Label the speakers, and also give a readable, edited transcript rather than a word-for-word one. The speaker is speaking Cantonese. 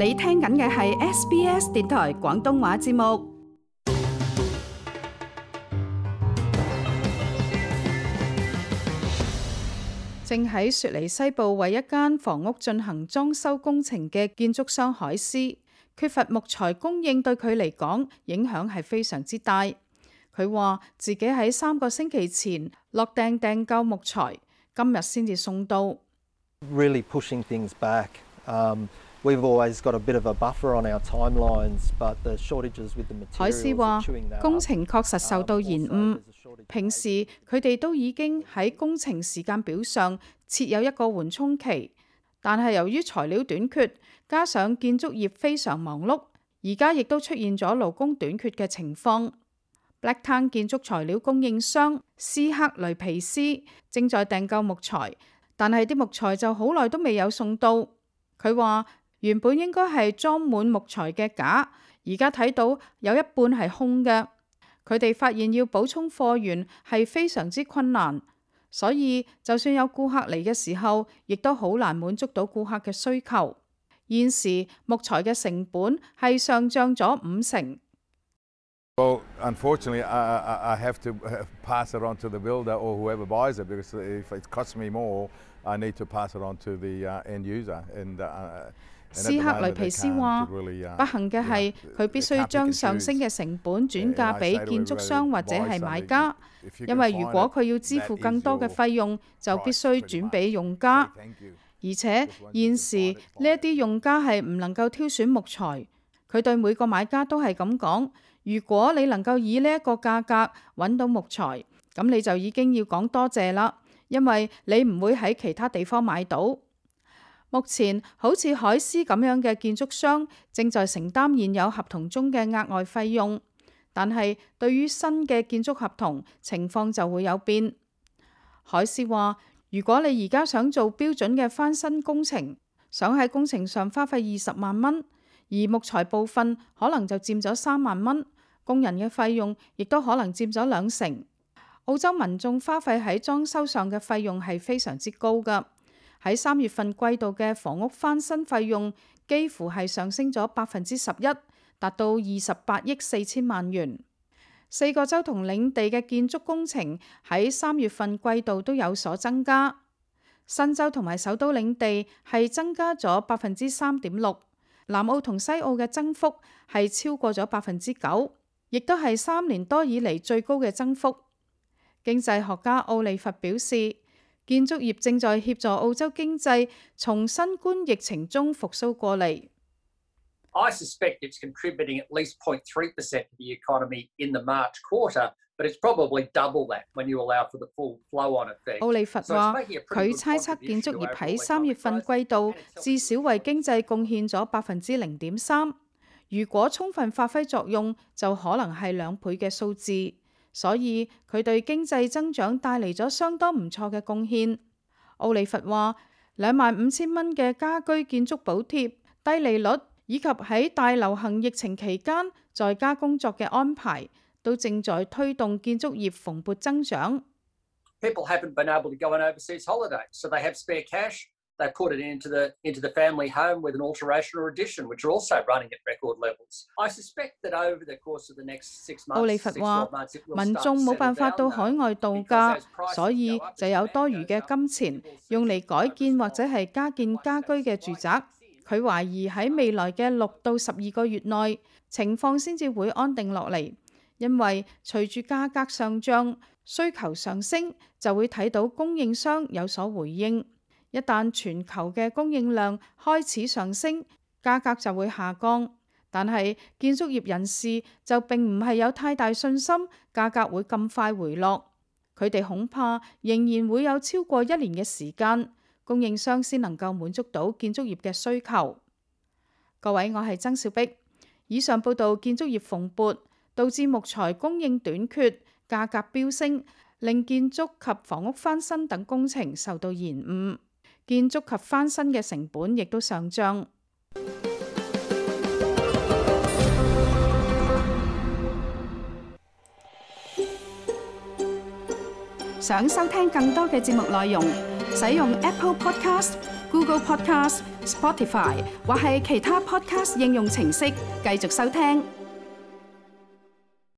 Speaker 1: 你聽緊嘅係 SBS 電台廣東話節目。正喺雪梨西部為一間房屋進行裝修工程嘅建築商海斯，缺乏木材供應對佢嚟講影響係非常之大。佢話自己喺3個星期前落訂購木材，今日先至送到。
Speaker 2: Really pushing things back. We've always got a bit of a buffer on our timelines, but the shortages with the materials.
Speaker 1: 海斯話工程確實受到延誤。平時佢哋都已經喺工程時間表上設有一個緩衝期，但係由於材料短缺，加上建築業非常忙碌，而家亦都出現咗勞工短缺嘅情況。Blacktown 建築材料供應商斯克雷皮斯正在訂購木材，但係啲木材就好耐都未有送到。佢話原本應該係裝滿木材嘅架，而家睇到有一半係空嘅。佢哋發現要補充貨源係非常之困難，所以就算有顧客嚟嘅時候，亦都好難滿足到顧客嘅需求。現時木材嘅成本係上漲咗50%。
Speaker 3: Well, unfortunately, I have to pass it on to the builder or whoever buys it, because if it costs me more, I need to pass it on to the end user. 斯克雷皮斯話：不幸嘅係佢必須將上升嘅成本轉嫁俾建築商或者係買家，因為如果佢要支付更多嘅費用，就必須轉俾用家。而且現時呢一啲用家係唔能夠挑選木材，佢對每個買家都係咁講：如果你能夠以呢一個價格揾到木材，咁你就已經要講多謝啦，因為你唔會喺其他地方買到。目前好似海斯咁樣嘅建築商正在承擔現有合同中嘅額外費用，但係對於新嘅建築合同情況就會有變。海斯話：如果你而家想做標準嘅翻新工程，想喺工程上花費20萬蚊，而木材部分可能就佔咗3萬蚊，工人嘅費用亦都可能佔咗20%。澳洲民眾花費喺裝修上嘅費用係非常之高㗎。喺3月份季度嘅房屋翻新費用幾乎係上升咗11%，達到28億4千萬元。4個州同領地嘅建築工程喺3月份季度都有所增加。新州同埋首都領地係增加咗3.6%，南澳同西澳嘅增幅係超過咗9%，亦都係3年多以嚟最高嘅增幅。經濟學家奧利弗表示，建築業正在協助澳洲經濟從新冠疫情中復甦過嚟。
Speaker 4: I suspect it's contributing at least 0.3% to the economy in the March quarter, but it's probably double that when you allow for the full flow-on effect.
Speaker 1: 奧利弗話，佢猜測建築業喺3月份季度至少為經濟貢獻咗0.3%。如果充分發揮作用，就可能係2倍嘅數字。所以佢對經濟增長帶嚟咗相當唔錯嘅貢獻。奧利弗話，25,000蚊嘅家居建築補貼、低利率以及喺大流行疫情期間在家工作嘅安排，都正在推動建築業蓬勃增長。
Speaker 4: People haven't been able to go on overseas holidays, so they have spare cash. They put it into the family home with an alteration or addition, which are also running at record levels. I suspect that over the course of the next 6 months,
Speaker 1: 奧利弗話，民眾冇辦法到海外度假，所以就有多餘嘅金錢用嚟改建或者係加建家居嘅住宅。佢懷疑喺未來嘅6到12個月內，情況先至會安定落嚟，因為隨住價格上漲、需求上升，就會睇到供應商有所回應。一旦全球嘅供應量開始上升，價格就會下降。但係建築業人士就並唔係有太大信心價格會咁快回落。佢哋恐怕仍然會有超過1年嘅時間，供應商先能夠滿足到建築業嘅需求。各位，我係曾兆碧。以上報道建築業蓬勃，導致木材供應短缺，價格飆升，令建築及房屋翻新等工程受到延誤。建築及翻新嘅成本亦都上漲。想收聽更多嘅節目內容，使用 Apple Podcast、Google Podcast、Spotify 或係其他 Podcast 應用程式繼續收聽。